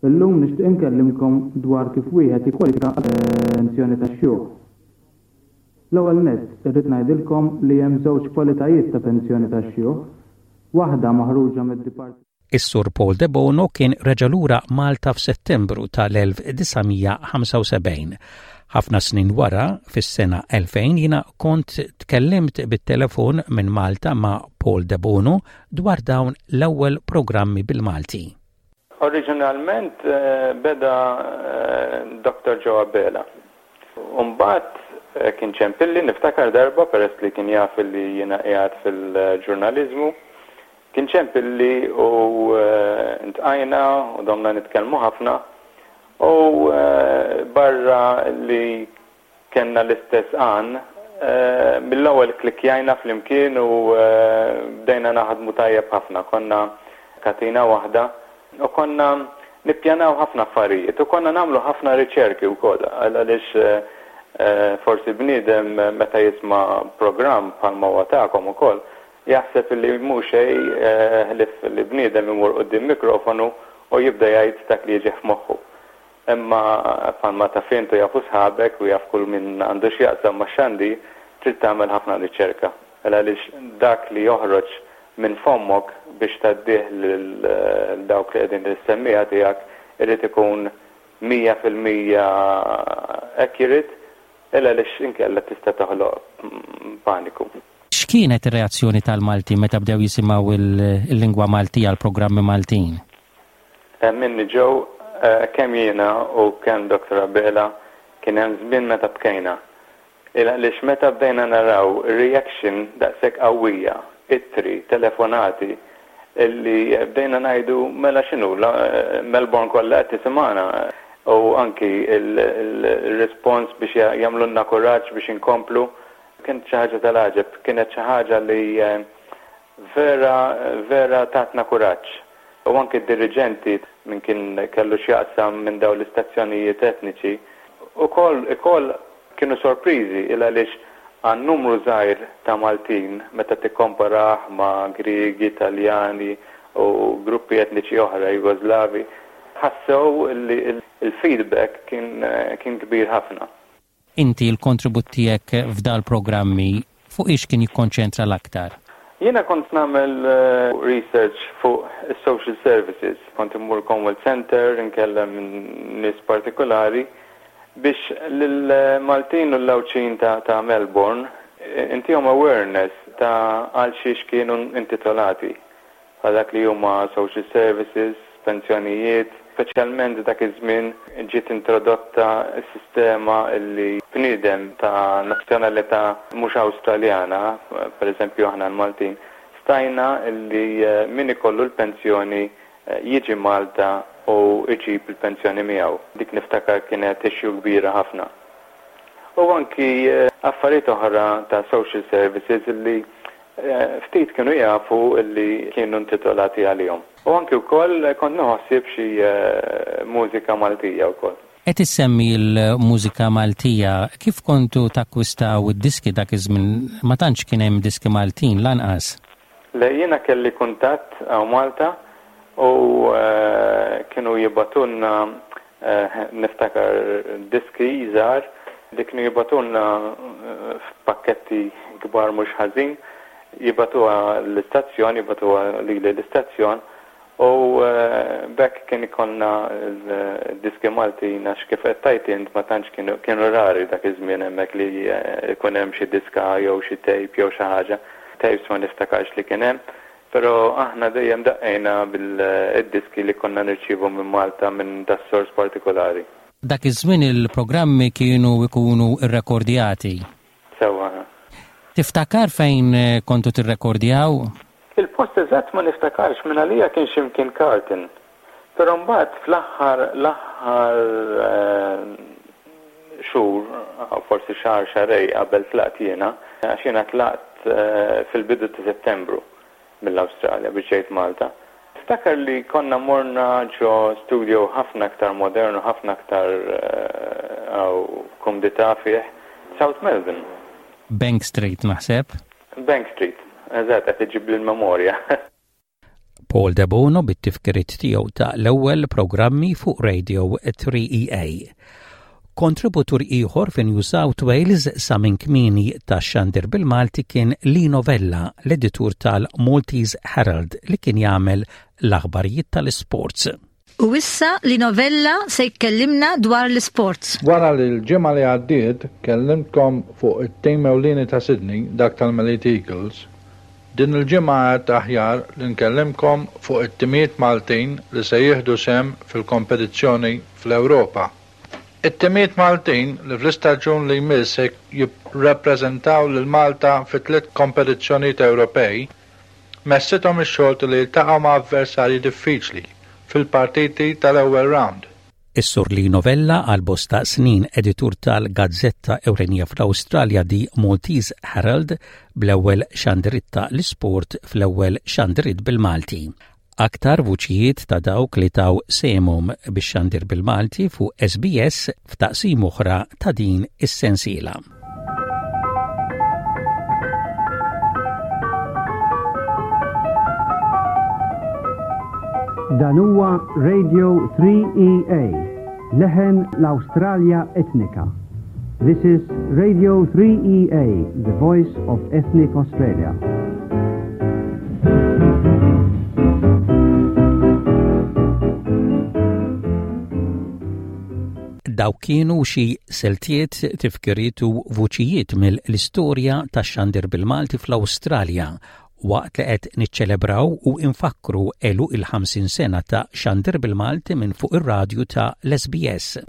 Illum nixtieq inkellimkom dwar kif wieħed jikkwalifika għall-pensjoni tax-xjuħ. L-ewwel nett irrid ngħidilkom li hemm żewġ kwalitajiet ta' pensjoni tax-xjuħ, waħda maħruġa mid-Dipart. Is-Sur Paul Debono kien reġa' lura Malta f'Settembru tal-1975. Ħafna snin wara, fis-sena 2000 jiena kont tkellimt bit-telefon minn Malta ma' Paul Debono dwar dawn l-ewwel programmi bil-Malti. Oriġinalment beda Doctor Joe Abela. U mbagħad kien ċempilli, niftakar darba peress li kien jaf li jiena qiegħed fil-ġurnaliżmu, kien ċempilli u ntqajna u domna nitkellmu ħafna u barra li Kellna l-istess għan. Mill-ewwel klikkjajna flimkien u bdejna naħdmu tajjeb ħafna. Konna katina waħda u konna nippjanaw ħafna affarijiet u konna nagħmlu ħafna riċerki wkoll għaliex forsi bniedem meta jisma' programm bħalma huwa tagħkom ukoll jaħseb li mhu xejn ħlief li bniedem imur quddiem mikrofonu u jibda jgħid dak li jiġih f'moħħu. Imma bħalma taf int u jafu sħabek u jaf kull min għandu x'jaqsam max-xandir, trid tagħmel ħafna riċerka. Għaliex dak li joħroġ minn fommok biex tgħaddih lil dawk li qegħdin lis-semmiegħa tiegħek irid ikun 100% accurate il għaliex inkella tista' toħloq paniku. X'kienet ir-reazzjoni tal-Maltin meta bdew jisimgħu l-lingwa Maltija, l-programmi Maltin? Minni Joe, kemm jiena u kemm Doctor Abela kien hemm żmien meta bkejna. Il għaliex meta bdejna naraw reaction daqshekk qawwija, ittri, telefonati, illi bdejna ngħidu mela x'inhu, Melbourne kollha qed tisimgħana u anki il-response biex jagħmlulna kuraġġ biex inkomplu, kienet xi ħaġa tal-għaġeb, kienet xi ħaġa li vera vera tatna kuraġġ. U anki d-diriġenti, min kien kellu x'jaqsam minn dawn l-istazzjonijiet etniċi, ukoll ukoll kienu sorpriżi il għaliex għan-numru żgħir ta' Maltin meta tikkomparah ma' Griegi, Taljani u gruppi etniċi oħra, Jugoslavi, ħassew li l-feedback kien kbir ħafna. Inti l-kontribut tiegħek f'dal-programmi fuq ix kien jikkonċentra l-aktar? Jiena kont nagħmel research fuq is-social services. Kont immur Commonwealth Centre, inkellem nies partikulari biex lill-Maltin u l-Għawdxin ta' Melbourne intihom awareness ta' għal xiex kienu intitolati. Għal dak li huma social services, pensjonijiet, speċjalment dak iż-żmien ġiet introdotta s-sistema li bniedem ta' nazzjonalità mhux Awstraljana, per eżempju aħna l-Maltin, stajna li min ikollu l-pensjoni jiġi Malta u jġib il-pensjoni miegħu. Dik niftakar kienet issue kbira ħafna. U anki affarijiet oħra ta' social services li Ftit kienu jafu li kienu intitolati għalihom. U anki wkoll kont nieħu ħsieb xi mużika Maltija wkoll. Qed issemmi l-mużika Maltija, kif kontu takkwistaw id-diski dak iż-żmien? Ma tantx kien hemm diski Maltin lanqas. Le, jiena kelli kuntatt hawn Malta u kienu jibgħatulna Niftakar diski żgħar li kienu jibagħtulna f'pakketti kbar mhux ħażin, jibagħtuha l-istazzjon, jibagħtuha lili l-istazzjon u b'hekk kien ikollna d-diski Maltin għax kif qed tgħid int ma tantx kienu kienu rari dak iż-żmien hemmhekk li jkun hemm xi diska jew xi tape jew xi ħaġa. Tapes ma niftakarx li kien hemm. Però aħna dejjem daqqejna bil-diski li konna nirċievu minn Malta minn das-sors partikulari. Dak iż-żmien il-programmi kienu jkunu rrekordjati. Sewwa. Tiftakar fejn kontu tirrekordjaw? Il-post eżatt ma niftakarx, mingħalija kien xi mkien Carlton. Però mbagħad fl-aħħar l-aħħar xhur, forsi xahar xahrejn qabel tlaqt jiena, għax jiena tlaqt fil-bidu ta' Settembru mill-Awstralja biex ġejt Malta. Niftakar li konna morna ġo studio ħafna aktar modern u ħafna aktar hawn kumdità fih, South Melbourne. Bank Street naħseb. Bank Street, eżatt qed iġġibli l-memorja. Paul Debono bit-tifkiriet tiegħu ta' l-ewwel programmi fuq Radio 3EA. Kontributur ieħor fi New South Wales sa minn kmieni tax-xandir bil-Malti kien Lino Vella, l-editur tal-Maltese Herald li kien jagħmel l-aħbarijiet tal-isports. U issa Lino Vella se jkellimna dwar l-isports. Wara li l-ġimgħa li għaddiet kellimtkom fuq it-tim ewlieni ta' Sydney, dak tal-Melite Eagles, din il-ġimgħa għedt aħjar li nkellimkom fuq it-timijiet Maltin li se jieħdu sehem fil-kompetizzjoni fl-Ewropa. It-timijiet Maltin li fl-istaġun li jmiss se jirrappreżentaw lil Malta fi tliet kompetizzjonijiet Ewropej, Messithom ix-xorti li jiltaqgħu ma' avversarji diffiċli fil-partiti tal-ewwel round. Is-Sur Lino Vella, għal bosta snin editur tal-gazzetta ewlenija fl-Awstralja The Maltese Herald, bl-ewwel xandiriet ta' l-isport fl-ewwel xandiriet bil-Malti. Aktar vuċijiet ta' dawk li taw sehemhom bix-xandir bil-Malti fuq SBS f'taqsima oħra ta' din is-sensiela. Dan huwa Radio 3EA, leħen l-Awstralja Etnika. This is Radio 3EA, the voice of ethnic Australia. Dawk kienu xi siltiet, tifkiriet u vuċijiet mill-istorja tax-xandir bil-Malti fl-Awstralja waqt li qed niċċelebraw u nfakkru għeluq il-50 sena ta' xandir bil-Malti minn fuq ir-radju ta' l-SBS.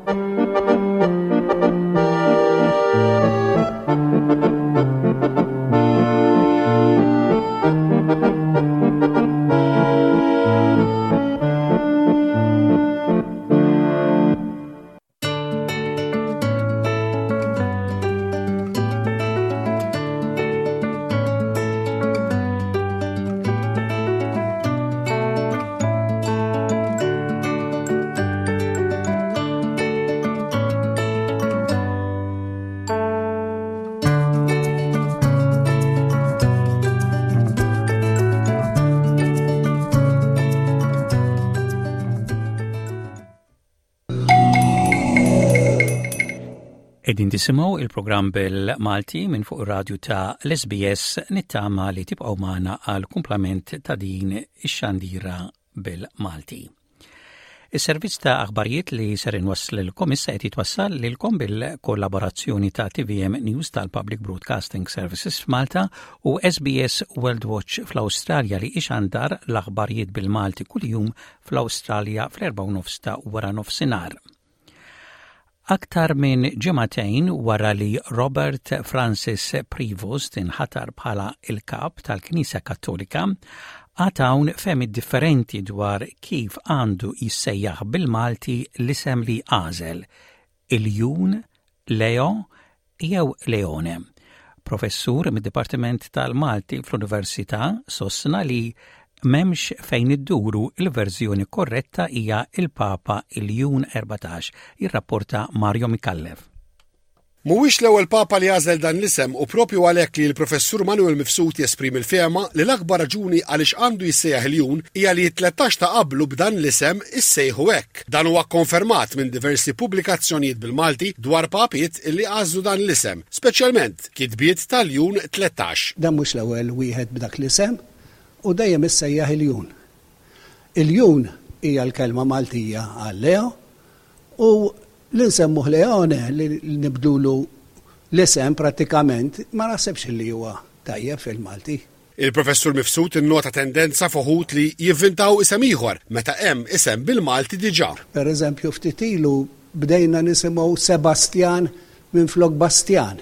Qegħdin tisimgħu il-programm bil-Malti minn fuq ir-radju ta' l-SBS nittama li tibqgħu magħna għal kumplament ta' din ix-xandira bil-Malti. Is-servizz ta' aħbarijiet li ser inwasslilkom issa qed jitwassal lilkom bil-kollaborazzjoni ta' TVM News tal-Public Broadcasting Services f'Malta u SBS World Watch fl-Awstralja li ixandar l-aħbarijiet bil-Malti kuljum fl-Awstralja fl-4:30 ta' wara nofsinhar. Aktar minn ġimagħtejn wara li Robert Francis Prevost inħatar bħala l-Kap tal-Knisja Kattolika, għad hawn fehmiet differenti dwar kif għandu jissejjaħ bil-Malti l-isem li għażel, Iljun, Leo jew Leone. Professur mid-Dipartiment tal-Malti fl-Università sostna li m'hemmx fejn idduru l-verżjoni korretta hija il-Papa Iljun 14, jirrapporta Mario Micallef. Mhuwiex l-ewwel Papa li għażel dan l-isem u proprju għalhekk li l-Professur Manuel Mifsud jesprimi l-fehma li l-akbar raġuni għaliex għandu jissejjaħ Iljun hija li t-13 ta' qablu b'dan l-isem issejħu hekk. Dan huwa kkonfermat minn diversi pubblikazzjonijiet bil-Malti dwar papiet li għażlu dan l-isem, speċjalment kitbiet ta' Ljun 13. Dan mhux l-ewwel wieħed b'dak l-isem u dejjem issejjaħ iljun. Iljun hija l-kelma Maltija għal Leo u li nsemmuh Leone, li nibdlulu l-isem prattikament, ma naħsibx li huwa tajjeb fil-Malti. Il-Professur Mifsud innota tendenza f'uħud li jivvintaw isem ieħor meta hemm isem bil-Malti diġà. Per eżempju ftit ilu bdejna nisimgħu Sebastjan minflok Bastjan.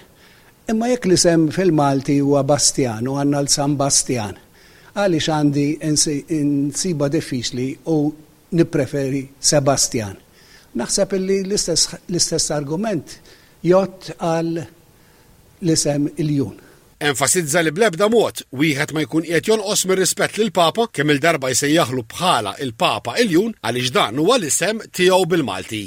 Imma jekk l-isem fil-Malti huwa Bastjan u għandna l-San Bastjan, għaliex għandi nsibha diffiċli u nippreferi Sebastjan? Naħseb illi l-istess argument jgħodd għal l-isem Iljun. Enfasizza li bl-ebda mod wieħed ma jkun qiegħed jonqos mir-rispett lill-Papa kemm-il darba jsejjaħlu bħala il-Papa Iljun għaliex dan huwa l-isem tiegħu bil-Malti.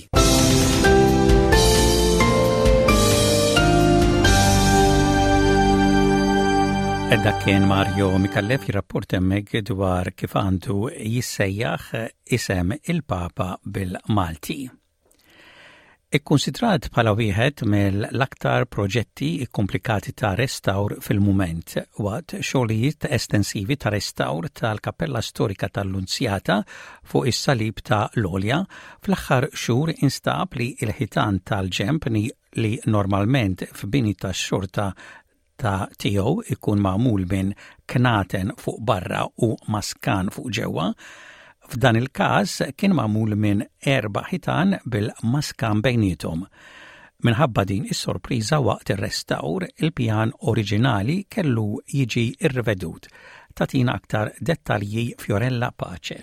Dak kien Mario Micallef jirrapport hemmhekk dwar kif għandu jissejjaħ isem il-Papa bil-Malti. Ikkunsidrat bħala wieħed mill-aktar proġetti kkumplikati ta' restawr fil-mument, waqt xogħlijiet estensivi ta' restawr tal-Kappella Storika tal-Lunzjata fuq is-Salib ta' l-Għolja, fl-aħħar xhur instab li l-ħitan tal-ġenb li normalment f'bini tax-xorta ta' tiegħu ikun magħmul minn knaten fuq barra u maskan fuq ġewwa, f'dan il-każ kien magħmul minn erba' ħitan bil-maskan bejniethom. Minħabba din is-sorpriża waqt ir-restawr, il-pjan oriġinali kellu jiġi rrivedut. Tagħtina aktar dettalji Fiorella Pace.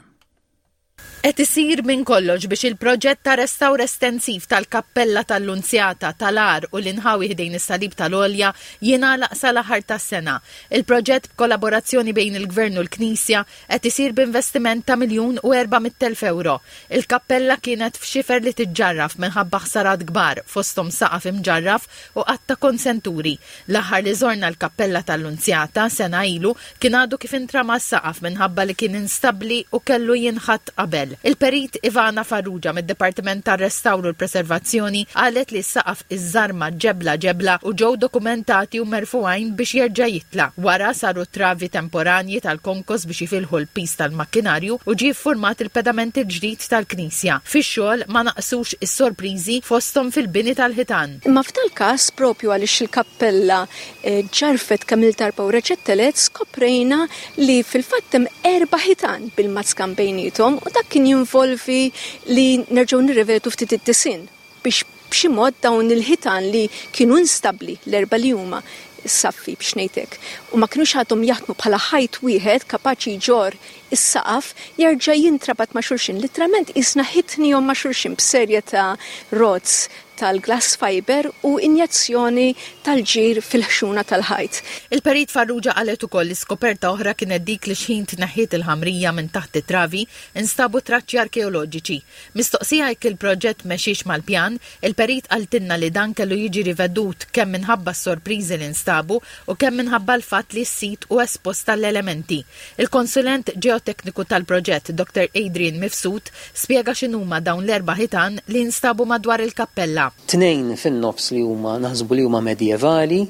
Qed isir minn kollox biex il-proġett ta' restawr estensiv tal-Kappella tal-Lunzjata, tal-Għar u l-inħawi ħdejn is-Salib tal-Għolja jingħalaq sal-aħħar tas-sena. Il-proġett b'kollaborazzjoni bejn il-Gvern u l-Knisja qed isir b'investiment ta' 1,400,000 ewro. Il-kappella kienet f'xifer li tiġġarraf minħabba ħsarat kbar, fosthom saqaf imġarraf u għadd ta' konsenturi. L-aħħar li żorna l-Kappella tal-Lunzjata, sena ilu, kien għadu kif intrama s-saqaf minħabba li kien instabbli u kellu jinħatt qabel. Il-Perit Ivana Farrugia mid-Dipartiment tar-Restawr u l-Preservazzjoni qalet li s-saqaf iżżarma ġebla ġebla u ġew dokumentati u merfugħin biex jerġa' jitla'. Wara saru travi temporanji tal-konkos biex jifilħu l-piż tal-makkinarju u ġie ffurmat il-pedament il-ġdid tal-knisja. Fix-xogħol ma naqsux is-sorpriżi fosthom fil-bini tal-ħitan. Imma f'dal-każ, propju għaliex il-kappella ġġarrfet kemm-il darba u reġgħet telgħet, skoprejna li fil-fatt hemm erba' ħitan bil-mazkan bejniethom u dak kien jinvolvi li nerġgħu nirrivedu ftit id-disinn biex b'xi mod dawn il-ħitan li kienu instabbli, l-erba' li huma, saffi biex ngħid hekk, u ma kinux għadhom jaħdmu bħala ħajt wieħed kapaċi jġorr is-saqaf, jerġa' jintrabat ma' xulxin. Litteralment qisna ħitnihom ma' xulxin b'serje ta' rods tal-glass fibre u injezzjoni tal-ġir fil-ħxuna tal-ħajt. Il-Perit Farrugia qalet ukoll li skoperta oħra kienet dik li xħin tneħħiet il-ħamrija minn taħt it-travi instabu traċċi arkeoloġiċi. Mistoqsija jekk il-proġett mexiex mal-pjan, il-Perit qaltilna li dan kellu jiġi rivedut kemm minħabba s-sorpriżi li nstabu u kemm minħabba l-fatt li s-sit hu espost għall-elementi. Il-konsulent ġeotekniku tal-proġett, Dr Adrian Mifsud, spjega x'inhuma dawn l-erba' ħitan li nstabu madwar il-kappella. tal-kappella. Tnejn fin-nofs li huma naħsbu li huma medjevali,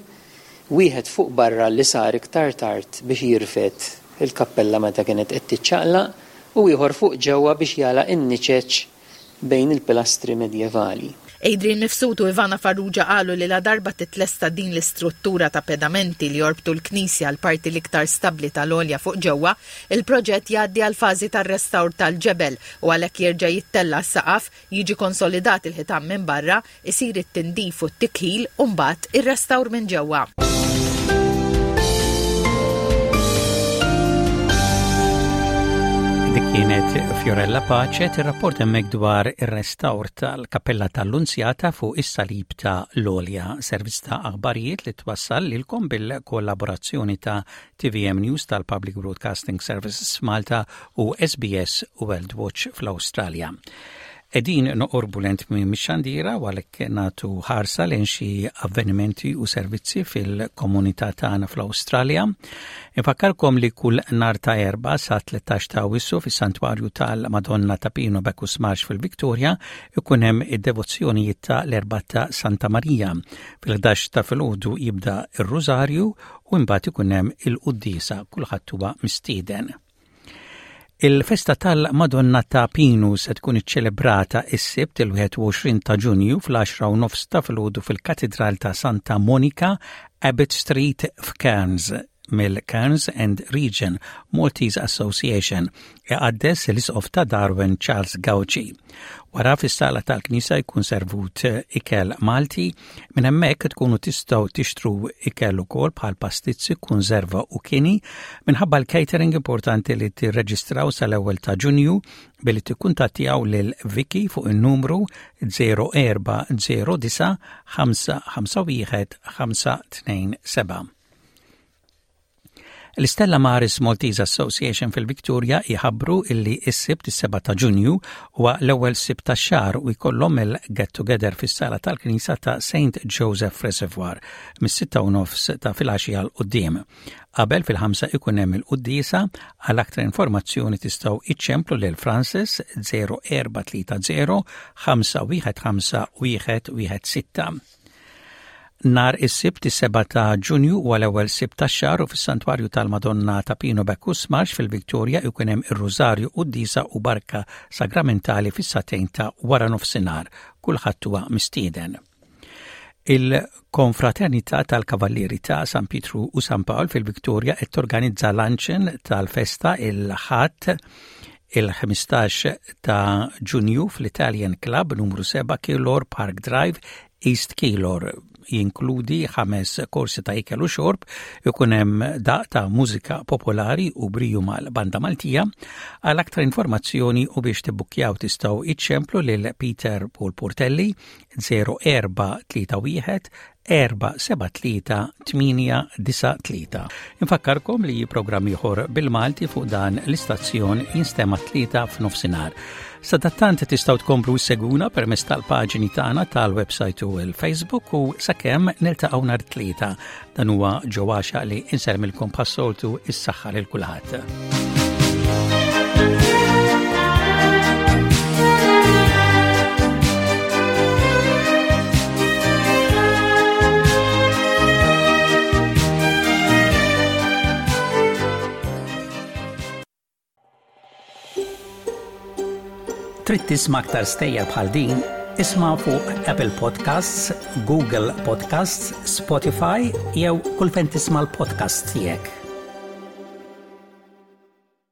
wieħed fuq barra li sar iktar tard biex jirfed il-kappella meta kienet qed tiċċaqlaq u ieħor fuq ġewwa biex jagħlaq in-niċeċ bejn il-pilastri medjevali. Adrian Mifsud u Ivana Farrugia qalu li ladarba titlesta din l-istruttura ta' pedamenti li jorbtu l-knisja għall-parti l-iktar stabbli tal-għolja fuq ġewwa, il-proġett jgħaddi għall-fażi tar-restawr tal-ġebel u għalhekk jerġa' jittella' s-saqaf, jiġi konsolidat il-ħitan minn barra, isir it-tindif u t-tikħil u mbagħad ir-restawr minn ġewwa. Dik kienet Fiorella Pace tirrapport hemmhekk dwar ir-restawr tal-Kappella tal-Lunzjata fuq is-Salib ta' l-Għolja, servizz ta' aħbarijiet li twassal lilkom bil-kollaborazzjoni ta' TVM News tal-Public Broadcasting Services Malta u SBS World Watch fl-Awstralja. Qegħdin noqorbu lejn tmiem ix-xandira u għalhekk nagħtu ħarsa lejn xi avvenimenti u servizzi fil-komunità tagħna fl-Awstralja. Infakkarkom li kull nhar ta' Erbgħa sa 13 ta' Awwissu fis-Santwarju tal-Madonna ta' Pino Bacchus Marsh fil-Victoria ikun hemm id-devozzjonijiet ta' l-Erbgħa ta' Santa Marija. Fil-11 ta' filgħodu jibda r-Rużarju u imbagħad ikun hemm il-quddiesa kulħadd huwa mistieden. Il-festa tal-Madonna ta' Pinu se tkun iċċelebrata s-Sibt il-21 ta' Ġunju fl-10 u nofs ta' filgħodu fil-Katidral ta' Santa Monica, Abbott Street f'Cairns mill-Cairns and Region Maltese Association iqaddes l-Isqof ta' Darwin Charles Gauci. Wara fis-sala tal-knisja jkun servut ikel Malti, minn hemmhekk tkunu tistgħu tixtru ikel ukoll bħal pastizzi, kunserva u kini. Minħabba l-catering importanti li tirreġistraw sal-ewwel ta' Ġunju billi tikkuntattjaw lil Vicky fuq in-numru 0409 551 527. L-Istella Maris Maltese Association fil-Victoria jħabbru illi s-Sibt is-7 ta' Ġunju huwa l-ewwel Sibt tax-xahar u jkollhom il-Get Together fis-sala tal-Knisja ta' St Joseph Reservoir mis-sitta u nofs ta' filgħaxija 'l quddiem. Qabel fil-ħamsa ikun hemm il-quddiesa, għal aktar informazzjoni tistgħu iċċemplu lil Francis 0430 515 116. Nhar is-Sibt is-7 ta' Ġunju huwa l-ewwel Sibt tax-xahar u fis-Santwarju tal-Madonna ta' Pino Bacchus Marsh fil-Victoria jkun hemm ir-Rużarju, Quddiesa u Barka Sagramentali fis-sagħtejn ta' wara nofsinhar. Kulħadd huwa mistieden. Il-Konfraternità tal-Kavallieri ta' San Pietru u San Pawl fil-Victoria qed torganizza luncheon tal-festa il-Ħadd il-15 ta' Ġunju fl-Italian Club numru 7 Keilor Park Drive East Keilor jinkludi ħames korsi ta' ikel u xorb, ikun hemm daq ta' mużika popolari u briju mal-Banda Maltija. Għal aktar informazzjoni u biex tibbukkjaw tistgħu iċċemplu lil Peter Paul Portelli 0431 473-893. Infakkarkom li programm ieħor bil-Malti fuq dan l-istazzjon jinstema' tlieta f'nofsinhar. Sadattant tistgħu tkomplu seguna permezz tal-paġni tagħna tal-website u l-Facebook u sakemm niltaqgħu nhar tlieta. Dan huwa ġewwaxa li insermilkom bħas-soltu is-saħħa lil kulħadd. Trid tisma' aktar stejjer bħal din? Isma' fuq Apple Podcasts, Google Podcasts, Spotify jew kull fejn tisma' l-podcasts tiegħek.